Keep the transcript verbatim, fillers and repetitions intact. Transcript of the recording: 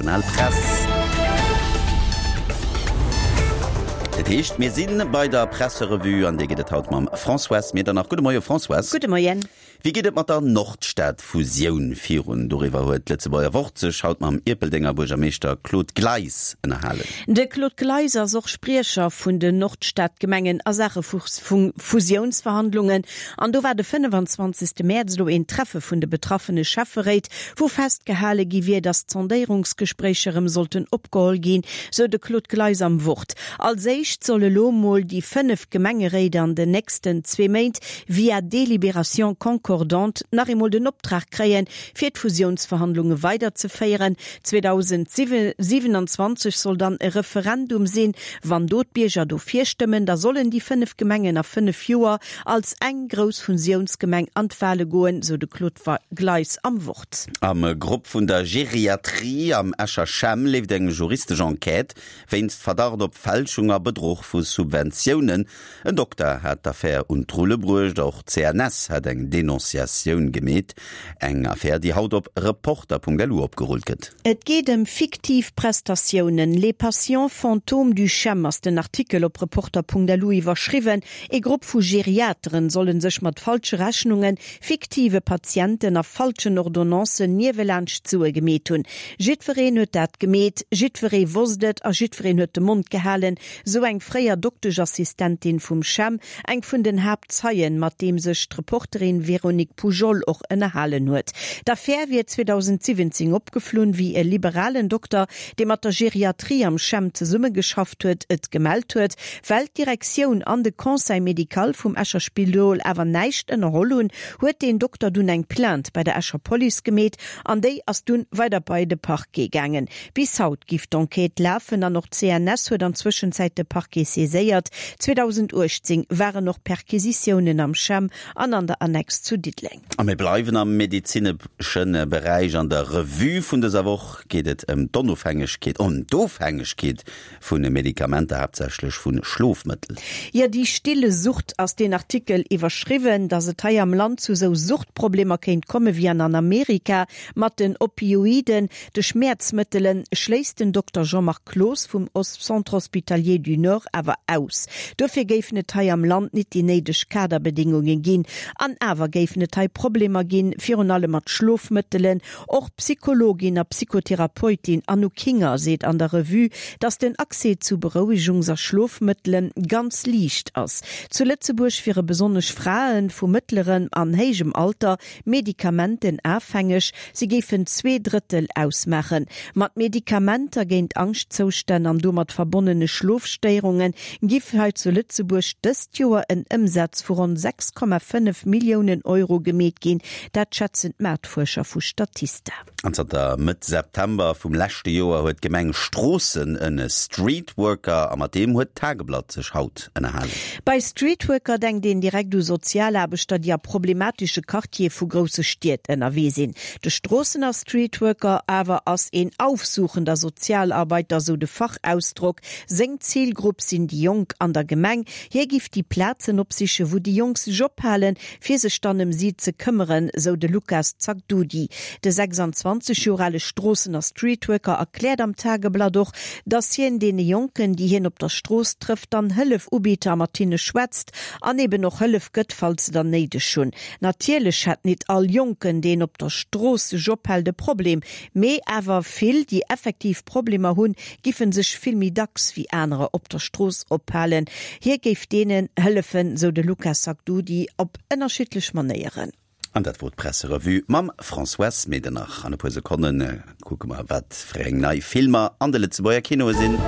international Press. Dat heescht, mir si bei der Presserevue an déi geet et haut mam Françoise Medernach. Gudde Moie Françoise. Gudde Moien. Wéi geet et mat der Nordstad-Fusioun virun? Doriwwer huet d'Lëtzebuerger Wort sech haut mam Ierpeldenger Buergermeeschter Claude Gleis ënnerhalen. De Claude Gleis ass och Spriecher vun den Nordstadgemengen a Saache vu Fusiounsverhandlungen. An do war de fënnefenzwanzegste Mäerz elo een Treffe vun de betraffene Schäfferéit, wou festgehale gi wier, datt d'Sondéierungsgespréicher erëm sollten opgeholl ginn, sou de Claude Gleis am Wort. Als éischt solle lo mol déi fënnef Gemengeréit an den nächsten zwee Méint via Délibération concordante nach eemol den Optrag kréien, fir d'Fusiounsverhandlunge weiderzeféieren. zweedausendsiwenanzwanzeg soll dann e Referendum sinn. Wann do d'Bierger dofir stëmmen, da sollen déi fënnef Gemengen a fënnef Joer als eng grouss Fusiounsgemeng an d'Wale goen, sou de Claude Gleis am Wort. Am Grupp vun der Geriatrie am Escher CHEM leeft eng juristesch Enquête wéinst Verdacht op Fälschung a Bedruch vu Subventiounen. En Dokter hat d'Affär un d'Rulle bruecht, och d'CNS hat eng Denonciatioun gemeet. Eng Affär, déi haut op Reporter.lu opgerullt gëtt. Et geet ëm fiktiv Prestatiounen. Les patients fantômes du CHEM ass den Artikel op Reporter.lu iwwerschriwwen. Ee Grupp vu Geriateren solle sech mat falsche Rechnungen, fiktive Patienten a falschen Ordonnancen niewelaanscht Sue gemeet hunn. Jiddwereen huet dat gemeet, jiddweree wosst et a jiddwereen huet de Mond gehalen, sou eng fréier Dokteschassistentin vum CHEM, eng vun den Haaptzeien, mat deem sech d'Reporterin Véronique Poujol och ënnerhalen huet. D'Affär wier zweedausendsiwwenzéng opgeflunn, wéi e liberalen Dokter, dee mat der Geriatrie am CHEM zesummegeschafft huet, et gemellt huet. Well d'Direktioun an de Conseil médical vum Escher Spidol awer näischt ënnerholl hunn, huet deen Dokter dunn eng Plainte bei der Escher Police gemeet an déi ass dunn weider bei de Parquet gaangen. Bis haut giff d'Enquête lafen an och d'CNS huet an Zwëschenzäit de Parquet saiséiert. zweedausenduechtzéng waren och Perquisitiounen am CHEM an an der Annex zu Diddeleng. A mir bleiwen am medezinesche Beräich. An der Revue vun dëser Woch geet et ëm d'Onofhängegkeet, ëm d'Ofhängegkeet vu Medikamenter, haaptsächlech vu Schlofmëttel. Jo, Die stille Sucht ass deen Artikel iwwerschriwwen. Datt et hei am Land zu esou Suchtproblemer kéint komme wéi an Amerika mat den Opioiden, de Schmäerzmëttelen, schléisst den Dokter Jean-Marc Cloos vum Centre Hospitalier du Nord awer aus. Dofir géifen et hei am Land nit déi néideg Kaderbedéngunge ginn. An awer géifen et hei Problemer ginn, virun allem mat Schlofmëttelen. Och d'Psychologin a Psychotherapeutin Anouk Hinger seet an der Revue, datt den Accès zu Berouegungs a Schlofmëttele ganz liicht ass. Zu Lëtzebuerg wiere besonnesch Frae vu mëttlerem an héijem Alter medikamentenafhängeg, si géifen zwee Drëttel ausmaachen. Mat Medikamenter géint Angschtzoustänn an domat verbonnene Schlofstéierunge giff hei zu Lëtzebuerg dëst Joer en Ëmsaz vu ronn sechs Komma fënnef Milliounen Euro gemeet ginn, dat schätzen d'Maartfuerscher vu Statista. An zanter Mëtt September vum leschte Joer huet d'Gemeng Stroossen en Streetworker a mat deem huet d'Tageblatt sech haut ënnerhalen. Bei Streetworker denkt een direkt u Sozialaarbechter, déi a problematesche Quartiere vu grousse Stied ënnerwee sinn. De Stroossener Streetworker awer ass een aufsuchender Sozialarbeiter, sou de Fachausdrock. Seng Zilgrupp sinn déi Jonk an der Gemeng. Hie giff déi Plazen opsichen, wou déi Jonk sech ophalen, fir sech dann ëm si ze këmmeren, sou de Lucas Zaghdoudi. De sechsanzwanzeg Joer ale Stroossener Streetworker erkläert am Tageblatt och, dass hien deene Jonken, déi hien op der Strooss trëfft, dann Hëllef ubitt a mat hinne schwätzt an eben och Hëllef gëtt, falls se der néideg hunn. Natierlech hätt nit all Jonken, deen op der Strooss sech ophält, e Problem, mee awer vill, déi effektiv Problemer hunn, giffen sech vill méi dacks wéi anerer op der Strooss ophalen. Hie géif deenen hëllefen, sou de Lucas Sacdoudi, op ënnerschiddlech Manéieren. An dat wor d'Presserevue mam Françoise Medernach. An e puer Sekonne kucke mer, wat fir eng nei Filmer an de Lëtzebuerger Kinoe sinn.